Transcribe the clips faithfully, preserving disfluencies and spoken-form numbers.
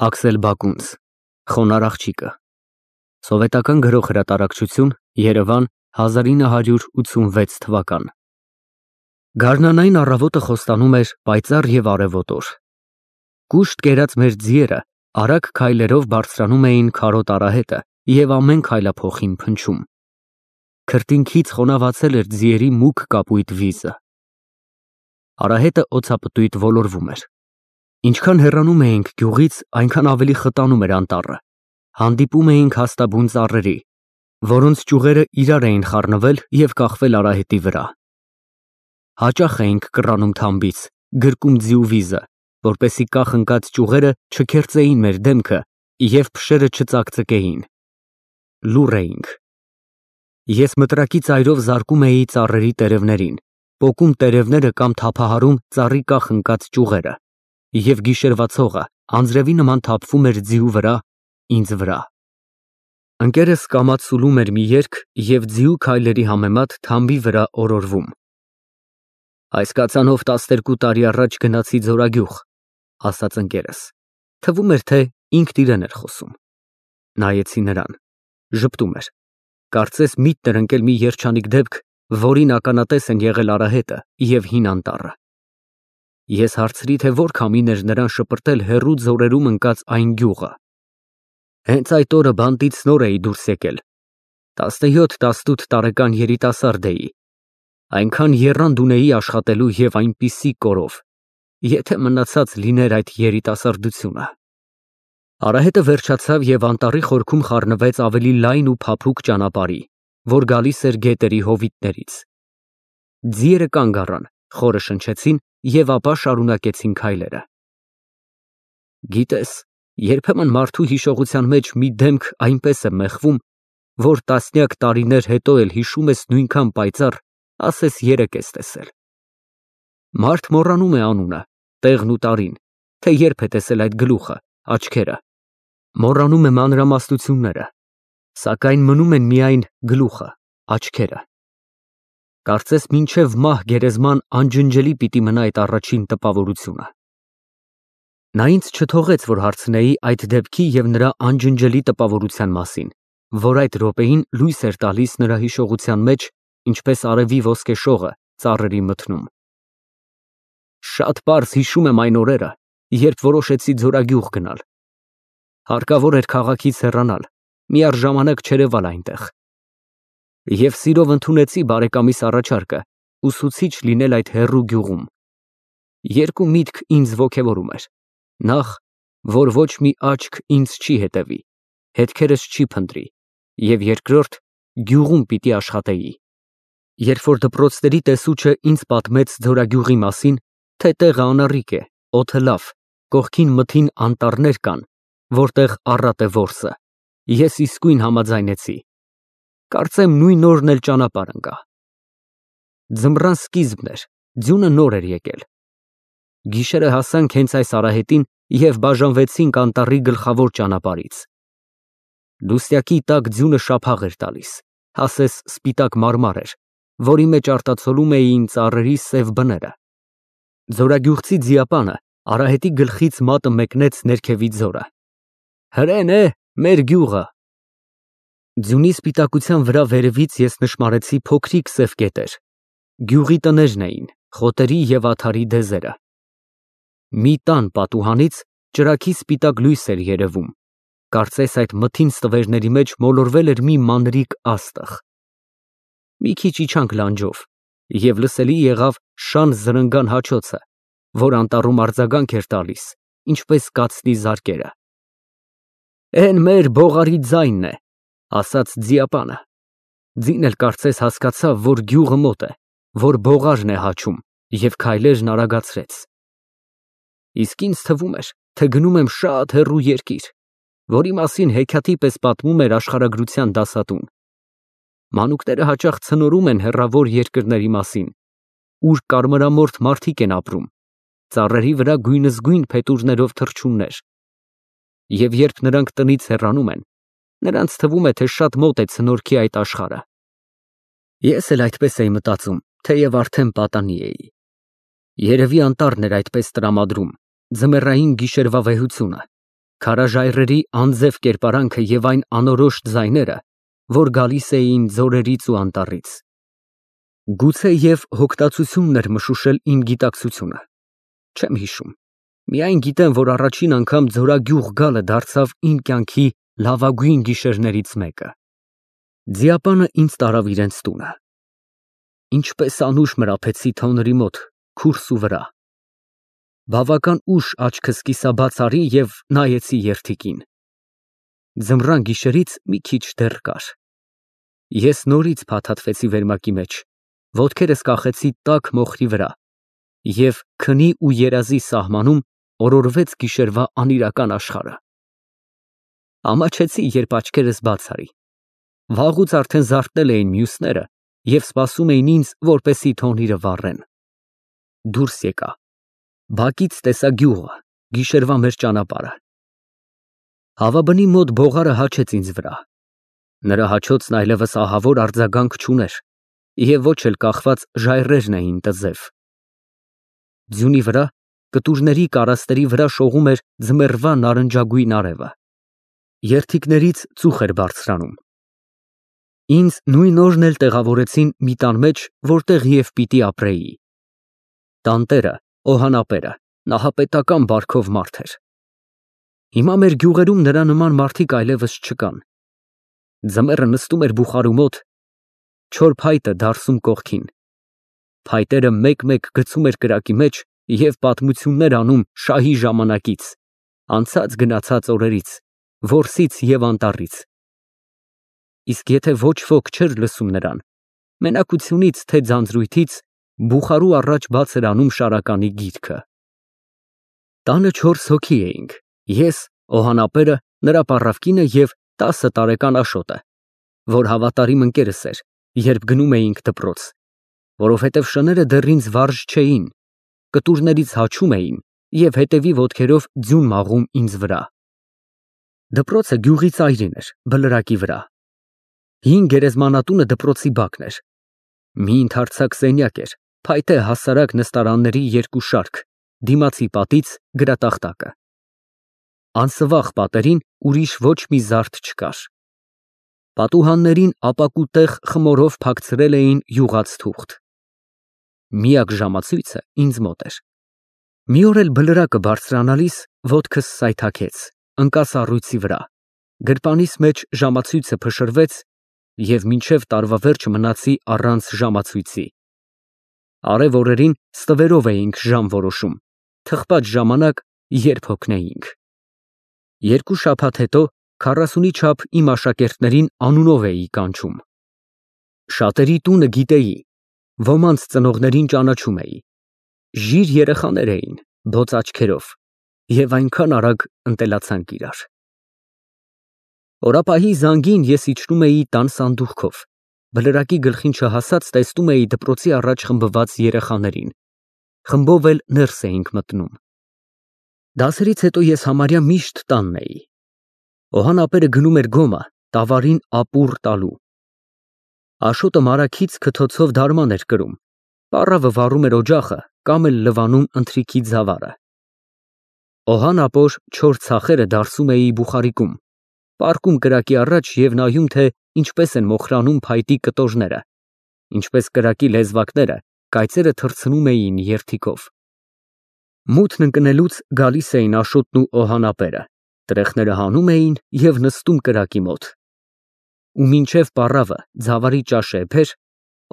Աքսել Բակունց, Խոնարհ աղջիկը, Սովետական գրող հրատարակչություն, Երևան, հազար ինը հարյուր ութսունվեց թվական։ Գարնանային առավոտը խոստանում էր պայծառ և արևոտոր։ Կուշտ կերած մեր ձիերը արագ քայլերով բարձրանում էին քարոտ արահետը և ամեն քայլափոխին փնչում։ Քրտինքից խոնավացել էր ձիերի մուգ կապույտ վիզը։ Արահետը օձապտույտ ոլորվում էր։ Ինչքան հեռանում էինք գյուղից, այնքան ավելի խտանում էր անտառը։ Հանդիպում էինք հաստաբուն ծառերի, որոնց ճյուղերը իրար էին խառնվել և կախվել արահետի վրա։ Հաճախ էինք կռանում թամբից, գրկում ձիու վիզը, որպեսզի կախ ընկած ճյուղերը չքերծեին մեր դեմքը և փշերը չծակծկեին։ Լուռ էինք։ Ես մտրակի ծայրով զարկում էի ծառերի տերևներին, պոկում տերևները կամ թափահարում ծառի կախ ընկած ճյուղերը, և գիշերվա ցողը անձրևի նման թափվում էր ձիու վրա, ինձ վրա։ Ընկերս կամաց սուլում էր մի երգ և ձիու քայլերի համեմատ թամբի վրա օրորվում։ Այս կացանով տասներկու տարի առաջ գնացի Ձորագյուղ, ասաց ընկերս, թվում էր, թե ինքն իրեն էր խոսում։ Նայեցի նրան, ժպտում էր, կարծես միտքն էր ընկել մի երջանիկ դեպք, որին ականատես են եղել արահետը և հին անտառը։ Ես հարցրի, թե որ քամին էր նրան շպրտել հեռու ձորերում ընկած այն գյուղը։ Հենց այդ օրը բանտից նոր էի դուրս եկել, տասնյոթ տասնութ տարեկան երիտասարդ էի, այնքան եռանդ ունեի աշխատելու և այնպիսի կորով, եթե մնացած լիներ այդ երիտասարդությունը։ Արահետը վերջացավ և անտառի խորքում խառնվեց ավելի լայն ու փափուկ ճանապարհի, որ գալիս էր գետերի հովիտներից։ Ձիերը կանգ առան, խորը շնչեցին և ապա շարունակեցին քայլերը։ Գիտես, երբեմն մարդու հիշողության մեջ մի դեմք այնպես է մեխվում, որ տասնյակ տարիներ հետո էլ հիշում ես նույնքան պայծառ, ասես երեկ ես տեսել։ Մարդ մոռանում է անունը, տեղն ու տարին, թե երբ է տեսել այդ գլուխը, աչքերը, մոռանում է մանրամասնությունները, սակայն մնում են միայն գլուխը, աչքերը։ Կարծես մինչև մահ գերեզման անջնջելի պիտի մնա այդ առաջին տպավորությունը։ Նա ինձ չթողեց, որ հարցնեի այդ դեպքի և նրա անջնջելի տպավորության մասին, որ այդ րոպեին լույս էր տալիս նրա հիշողության մեջ, ինչպես արևի ոսկեշողը ծառերի մթնում։ Շատ պարզ հիշում եմ այն օրերը, երբ որոշեցի Ձորագյուղ գնալ։ Հարկավոր էր քաղաքից հեռանալ, միառժամանակ չերևալ այնտեղ։ Եվ սիրով ընդունեցի բարեկամիս առաջարկը ուսուցիչ լինել այդ հեռու գյուղում։ Երկու միտք ինձ ոգևորում էր. նախ, որ ոչ մի աչք ինձ չի հետևի, հետքերս չի փնտրի, և երկրորդ, գյուղում պիտի աշխատեի։ Երբ որ դպրոցների տեսուչը ինձ պատմեց Ձորագյուղի մասին, թե տեղը անառիկ է, օդը լավ, կողքին մթին անտառներ կան, որտեղ առատ է որսը, ես իսկույն համաձայնեցի։ Կարծեմ նույն օրն էլ ճանապարհ ընկա։ Ձմռան սկիզբն էր, ձյունը նոր էր եկել։ Գիշերը հասանք հենց այս արահետին և բաժանվեցինք անտառի գլխավոր ճանապարհից։ Լուսյակի տակ ձյունը շափաղ էր տալիս, ասես սպիտակ մարմար էր, որի մեջ արտացոլում էին ծառերի սև բները։ Ձորագյուղցի ձիապանը արահետի գլխից մատը մեկնեց ներքևի ձորը։ Հրեն է, մեր գյուղը։ Ձյունի սպիտակության վրա վերևից ես նշմարեցի փոքրիկ սև կետեր։ Գյուղի տներն էին, խոտերի և աթարի դեզերը։ Մի տան պատուհանից ճրագի սպիտակ լույս էր երևում, կարծես այդ մթին ստվերների մեջ մոլորվել էր մի մանրիկ աստղ։ Մի քիչ իջանք լանջով, և լսելի եղավ շան զրնգան հաչոցը, որ անտառում արձագանք էր տալիս, ինչպես կացնի զարկերը։ Էն մեր բողարի ձայնն է, ասաց ձիապանը։ Ձին էլ կարծես հասկացավ, որ գյուղը մոտ է, որ բողարն է հաչում, և քայլերն արագացրեց։ Իսկ ինձ թվում էր, թե գնում եմ շատ հեռու երկիր, որի մասին հեքիաթի պես պատմում էր աշխարհագրության դասատուն։ Մանուկները հաճախ ցնորում են հեռավոր երկրների մասին, ուր կարմրամորթ մարդիկ են ապրում, ծառերի վրա գույնզգույն փետուրներով թռչուններ։ Եվ երբ նրանք տնից հեռանում են, նրանց թվում է, թե շատ մոտ է ցնորքի այդ աշխարհը։ Ես էլ այդպես էի մտածում, թեև արդեն պատանի էի։ Երևի անտառն էր այդպես տրամադրում, ձմեռային գիշերվա վեհությունը, Քարաժայռերի անձև կերպարանքը և այն անորոշ ձայները, որ գալիս էին ձորերից ու անտառից։ Գուցե և հոգտացությունն էր մշուշել իմ գիտակցությունը, չեմ հիշում, միայն գիտեմ, որ առաջին անգամ ձորագյուղ գալը դարձավ իմ կյանքի լավագույն գիշերներից մեկը։ Ձիապանը ինձ տարավ իրենց տունը։ Ինչպես անուշ մրափեցի թոնրի մոտ, քուրսու վրա։ Բավական ուշ աչքս կիսաբաց արի և նայեցի երդիկին։ Ձմռան գիշերից մի քիչ դեռ կար։ Ես նորից փաթաթվեցի վերմակի մեջ, ոտքերս կախեցի տաք մոխրի վրա և քնի ու երազի սահմանում օրորվեց գիշերվա անիրական աշխարհը։ Ամաչեցի, երբ աչքերս բաց արի։ Վաղուց արդեն զարթնել էին մյուսները և սպասում էին ինձ, որպեսզի թոնիրը վառեն։ Դուրս եկա։ Բակից տեսա գյուղը, գիշերվա մեր ճանապարհը։ Հավաբնի մոտ բողարը հաչեց ինձ վրա։ Նրա հաչոցն այլևս ահավոր արձագանք չուներ և ոչ էլ կախված ժայռերն էին տզև։ Ձյունի վրա, կտուրների կարասների վրա շողում էր ձմեռվա նարնջագույն արևը։ Երդիկներից ծուխ էր բարձրանում։ Ինձ նույն օրն էլ տեղավորեցին մի տան մեջ, որտեղ և պիտի ապրեի։ Տանտերը, օհանապերը, նահապետական բարքով մարդ էր։ Հիմա մեր գյուղերում նրա նման մարդիկ այլևս չկան։ Ձմեռը նստում էր բուխարու մոտ, չոր փայտը դարսում կողքին։ Փայտերը մեկ֊մեկ գցում էր կրակի մեջ և պատմություններ անում շահի ժամանակից, անցած գնացած օրերից, որսից և անտառից։ Իսկ եթե ոչ ոք չէր լսում նրան, մենակությունից թե ձանձրույթից, բուխարու առաջ բաց էր անում շարականի գիրքը։ Տանը չորս հոգի էինք, ես, օհանապերը, նրա պառավկինը և տասը տարեկան Աշոտը, որ հավատարիմ ընկերս էր, երբ գնում էինք դպրոց, որովհետև շները դեռ ինձ վարժ չէին, կտուրներից հաչում էին և հետևի ոտքերով ձյուն մաղում ինձ վրա։ Դպրոցը գյուղի ծայրին էր, բլրակի վրա։ Հին գերեզմանատունը դպրոցի բակն էր։ Մի ընդարձակ սենյակ էր, փայտե հասարակ նստարանների երկու շարք, դիմացի պատից գրատախտակը։ Անսվաղ պատերին ուրիշ ոչ մի զարդ չկար։ Պատուհաններին ապակու տեղ խմորով փակցրել էին յուղած թուղթ։ Միակ ժամացույցը ինձ մոտ էր։ Մի օր էլ բլրակը բարձրանալիս ոտքս սայթաքեց, ընկա սառույցի վրա, գրպանիս մեջ ժամացույցը փշրվեց և մինչև տարվա վերջը մնացի առանց ժամացույցի։ Արև օրերին ստվերով էինք ժամ որոշում, թխված ժամանակ, երբ հոգնեինք։ Երկու շաբաթ հետո քառասունի չափ իմ աշակերտներին անունով էի կանչում։ Շատերի տունը գիտեի, ոմանց ծնողներին ճանաչում էի։ Ժիր երեխաներ էին, բոց աչքերով, և այնքան արագ ընտելացանք իրար։ Օրապահի զանգին ես իջնում էի տան սանդուղքով, բլրակի գլխին չհասած տեսնում էի դպրոցի առաջ խմբված երեխաներին, խմբով էլ ներս էինք մտնում։ Դասերից հետո ես համարյա միշտ տանն էի։ Օհանապերը գնում էր գոմը, տավարին ապուռ տալու։ Աշոտը մարագից քթոցով դարման էր կրում, պառավը վառում էր օջախը կամ էլ լվանում ընթրիքի ձավառը։ Օհան ապոր չոր ցախերը դարսում էի բուխարիկում, պառկում կրակի առաջ և նայում, թե ինչպես են մոխրանում փայտի կտորները, ինչպես կրակի լեզվակները կայծերը թռցնում էին երդիկով։ Մութն ընկնելուց գալիս էին Աշոտն ու օհանապերը, տրեխները հանում էին և նստում կրակի մոտ։ Ու մինչև պառավը ձավարի ճաշը էփեր,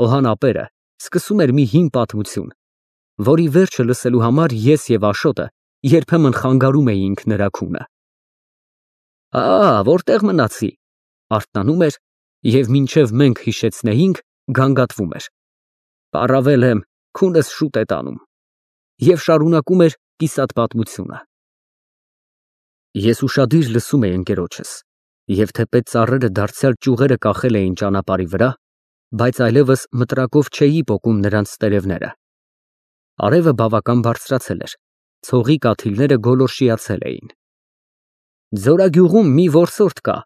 օհանապերը սկսում էր մի հին պատմություն, որի վերջը լսելու համար ես և Աշոտը երբեմն խանգարում էինք նրա քունը։ «Ա, որտե՞ղ մնացի», արթնանում էր և մինչև մենք հիշեցնեինք, գանգատվում էր։ «Պառավել եմ, քունս շուտ է տանում» և շարունակում էր կիսատ պատմությունը։ Ես ուշադիր լսում էի ընկերոջս, և թեպետ ծառերը դարձյալ ճյուղերը կախել էին ճանապարհի վրա, բայց այլևս մտրակով չէի պոկում նրանց տերևները։ Արևը բավական բարձրացել էր, ցողի կաթիլները գոլորշիացել էին։ Ձորագյուղում մի որսորդ կա,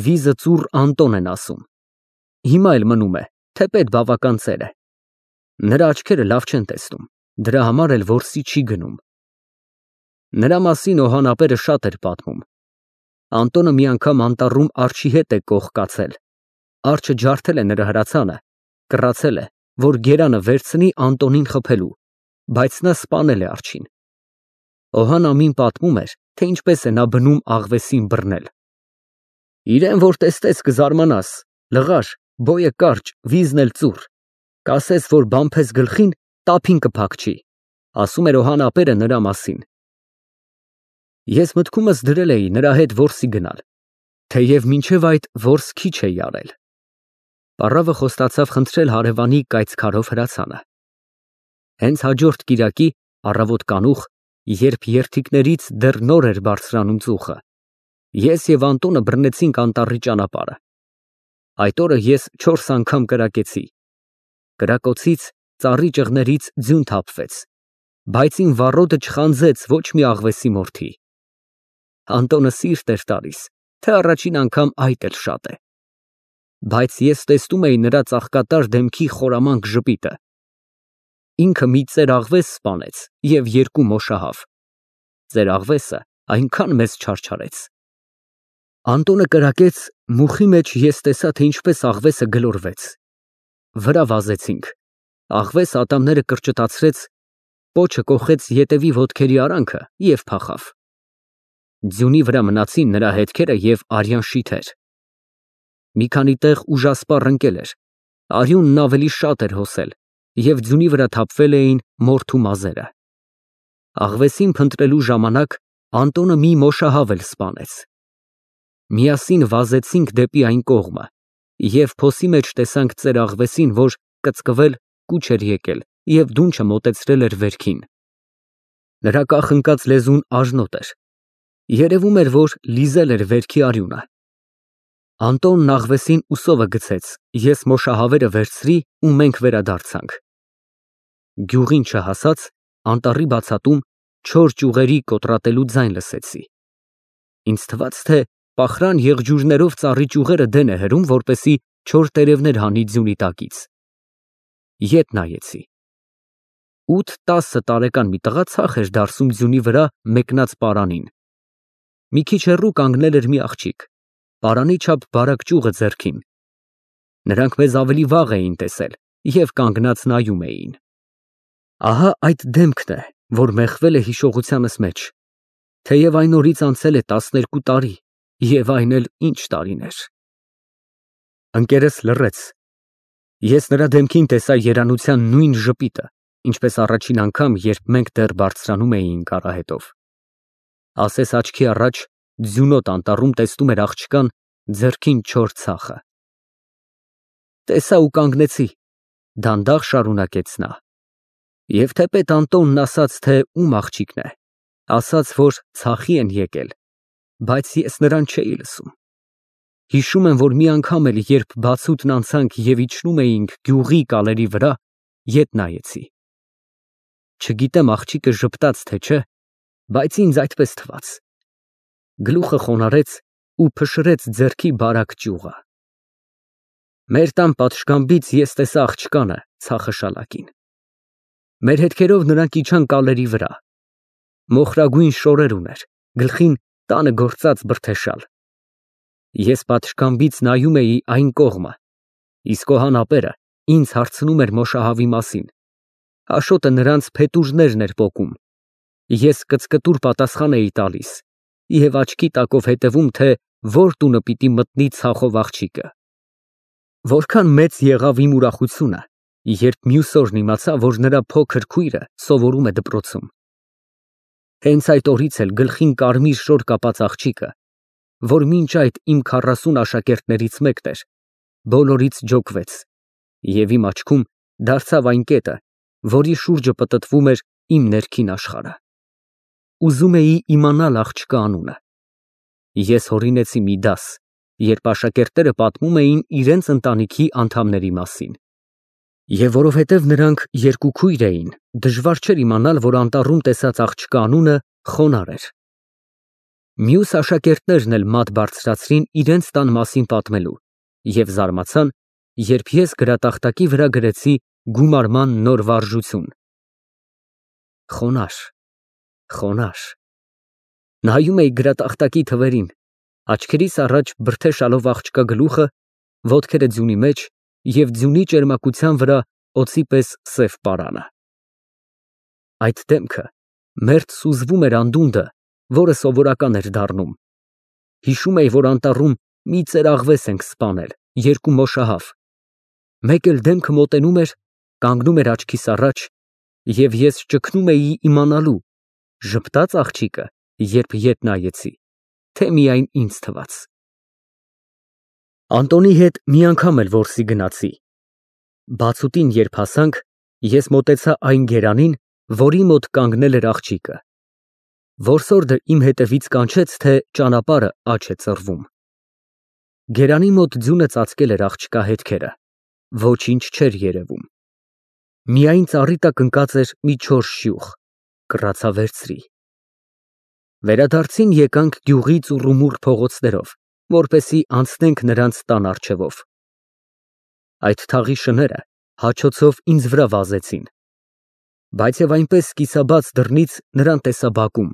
վիզը ծուռ Անտոն են ասում։ Հիմա էլ մնում է, թեպետ բավական ծեր է։ Նրա աչքերը լավ չեն տեսնում, դրա համար էլ որսի չի գնում։ Նրա մասին օհանապերը շատ էր պատմում, Անտոնը մի անգամ անտառում արջի հետ է կողկացել։ Արջը ջարդել է նրա հրացանը, կռացել է, որ գերանը վերցնի Անտոնին խփելու, բայց նա սպանել է արջին։ Օհան ամին պատմում էր, թե ինչպես է նա բնում աղվեսին բռնել։ Իրեն որ տեստես կզարմանաս, լղար, բոյը կարճ, վիզն էլ ծուռ, կասես, որ բամփես գլխին, տափին կփակչի, ասում էր Օհան ապերը նրա մասին։ Ես մտքումս դրել էի նրա հետ որսի գնալ, թեև մինչև այդ որս քիչ էի արել։ Պառավը խոստացավ խնդրել հարևանի կայծքարով հրացանը։ Հենց հաջորդ կիրակի առավոտ կանուխ, երբ երթիկներից դեռ նոր էր բարձրանում ծուխը, ես և Անտոնը բռնեցինք անտառի ճանապարհը։ Այդ օրը ես չորս անգամ կրակեցի։ Կրակոցից, ծառի ճղներից ձյուն թափվեց, բայց իմ վառոդը չխանձեց ոչ մի աղվեսի մորթի։ Անտոնը սիրտ էր տալիս, թե առաջին անգամ այդ էլ շատ է։ Բայց ես տեսնում էի նրա ծաղկատար դեմքի խորամանկ ժպիտը։ Ինքը մի ծեր աղվես սպանեց և երկու մոշահավ։ Ծեր աղվեսը այնքան մեզ չարչարեց։ Անտոնը կրակեց, մուխի մեջ ես տեսա, թե ինչպես աղվեսը գլորվեց։ Վրա վազեցինք, աղվես ատամները կրճտացրեց, պոչը կոխեց ետևի ոտքերի արանքը և փախավ։ Ձյունի վրա մնացին նրա հետքերը և արյան շիթեր։ Մի քանի տեղ ուժասպառ ընկել էր, արյունն ավելի շատ էր հոսել և ձյունի վրա թափվել էին մորթու մազերը։ Աղվեսին փնտրելու ժամանակ Անտոնը մի մոշահավ էլ սպանեց։ Միասին վազեցինք դեպի այն կողմը և փոսի մեջ տեսանք ծեր աղվեսին, որ կծկվել, կուչ էր եկել և դունչը մոտեցրել էր վերքին։ Նրա կախնկած լեզուն աժնոտ էր, երևում էր, որ լիզել էր վերքի արյունը։ Անտոնն աղվեսին ուսովը գցեց, ես մոշահավերը վերցրի ու մենք վերադարձանք։ Գյուղին չհասած, անտառի բացատում չոր ճյուղերի կոտրատելու ձայն լսեցի։ Ինձ թվաց, թե պախրան եղջյուրներով ծառի ճյուղերը դեն է հրում, որպեսզի չոր տերևներ հանի ձյունի տակից։ Ետ նայեցի։ Ութ֊տասը տարեկան մի տղա ցախ էր դարսում ձյունի վրա մեկնած պարանին։ Մի քիչ հեռու կանգնել էր մի աղջիկ, պարանի չափ բարակ ճյուղը ձեռքին։ Նրանք մեզ ավելի վաղ էին տեսել և կանգնած նայում էին։ Ահա այդ դեմքն է, որ մեխվել է հիշողությանս մեջ, թեև այն օրից անցել է տասներկու տարի, և այն էլ ինչ տարիներ։ Ընկերս լռեց։ Ես նրա դեմքին տեսա երանության նույն ժպիտը, ինչպես առաջին անգամ, երբ մենք դեռ բարձրանում էինք արահետով։ Ասես աչքի առաջ ձյունոտ անտառում տեսնում էր աղջկան ձեռքին չոր ցախը։ Տեսա ու կանգնեցի, դանդաղ շարունակեց նա։ Եվ թեպետ Անտոնն ասաց, թե ում աղջիկն է, ասաց, որ ցախի են եկել, բայց ես նրան չէի լսում։ Հիշում եմ, որ մի անգամ էլ, երբ բացուտն անցանք և իջնում էինք գյուղի կալերի վրա, ետ նայեցի։ Չգիտեմ աղջիկը ժպտաց, թե չէ, բայց ինձ այդպես թվաց։ Գլուխը խոնարհեց ու փշրեց ձեռքի բարակ ճյուղը։ Մեր տան պատշգամբից ես տեսա աղջկանը ցախը շալակին։ Մեր հետքերով նրանք իջան կալերի վրա։ Մոխրագույն շորեր ուներ, գլխին տանը գործած բրդեշալ։ Ես պատշգամբից նայում էի այն կողմը, իսկ Օհան ապերը ինձ հարցնում էր մոշահավի մասին։ Աշոտը նրանց փետուրներն էր պոկում։ Ես կծկտուր պատասխան էի տալիս և աչքի տակով հետևում, թե որ տունը պիտի մտնի ցախով աղջիկը։ Որքան մեծ եղավ իմ ուրախությունը, երբ մյուս օրն իմացա, որ նրա փոքր քույրը սովորում է դպրոցում։ Հենց այդ օրից էլ գլխին կարմիր շոր կապած աղջիկը, որ մինչ այդ իմ քառասուն աշակերտներից մեկն էր, բոլորից ջոկվեց և իմ աչքում դարձավ այն կետը, որի շուրջը պտտվում էր իմ ներքին աշխարհը։ Ուզում էի իմանալ աղջկա անունը։ Ես հորինեցի մի դաս, երբ աշակերտները պատմում էին իրենց ընտանիքի անդամների մասին։ Եվ որովհետև նրանք երկու քույր էին, դժվար չէր իմանալ, որ անտառում տեսած աղջկա անունը Խոնար էր։ Մյուս աշակերտներն էլ մատ բարձրացրին իրենց տան մասին պատմելու և զարմացան, երբ ես գրատախտակի վրա գրեցի գումարման նոր վարժություն։ Խոնար, խոնար։ Նայում էի գրատախտակի թվերին, Աչքերիս առաջ բրդեշալով աղջկա գլուխը, ոտքերը ձյունի մեջ և ձյունի ճերմակության վրա օձի պես սև պարանը։ Այդ դեմքը մերթ սուզվում էր անդունդը, որը սովորական էր դառնում։ Հիշում էի, որ անտառում մի ծերաղվես ենք սպանել, երկու մոշահավ։ Մեկ էլ դեմքը մոտենում էր, կանգնում էր աչքիս առաջ, և ես ճգնում էի իմանալու, ժպտա՞ծ աղջիկը, երբ ետ նայեցի, թե միայն ինձ թվաց։ Անդոնի հետ մի անգամ էլ որսի գնացի։ Բացուտին երբ հասանք, ես մոտեցա այն գերանին, որի մոտ կանգնել էր աղջիկը։ Որսորդը իմ հետևից կանչեց, թե ճանապարհը աջ է ծռվում։ Գերանի մոտ ձյունը ծածկել էր աղջկա հետքերը, ոչինչ չէր երևում։ Միայն ծառի տակ ընկած էր մի չոր շյուխ, կռացա վերցրի։ Վերադարձին եկանք գյուղի ծուռումուռ փողոցներով, որպեսզի անցնենք նրանց տան առջևով։ Այդ թաղի շները հաչոցով ինձ վրա վազեցին, բայց և այնպես կիսաբաց դռնից նրան տեսա բակում,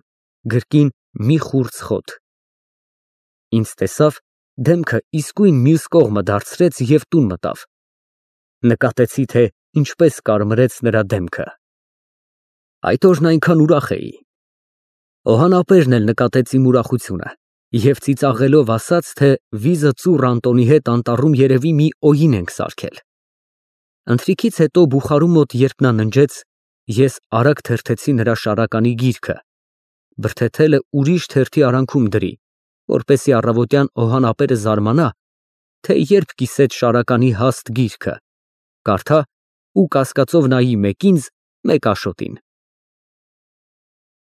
գրկին մի խուրձ խոտ։ Ինձ տեսավ, դեմքը իսկույն մյուս կողմը դարձրեց և տուն մտավ։ Նկատեցի, թե ինչպես կարմրեց նրա դեմքը։ Այդ օրն այնքան ուրախ էի։ Օհանապերն էլ նկատեց իմ ուրախությունը և ծիծաղելով ասաց, թե վիզը ծուռ Անդոնի հետ անտառում երևի մի օյին ենք սարքել։ Ընթրիքից հետո բուխարու մոտ երբ նա ննջեց, ես արագ թերթեցի նրա շարականի գիրքը, բրդեթելը ուրիշ թերթի արանքում դրի, որպեսզի առավոտյան Օհանապերը զարմանա, թե երբ կիսեց շարականի հաստ գիրքը, կարդա ու կասկածով նայի մեկ ինձ, մեկ Աշոտին։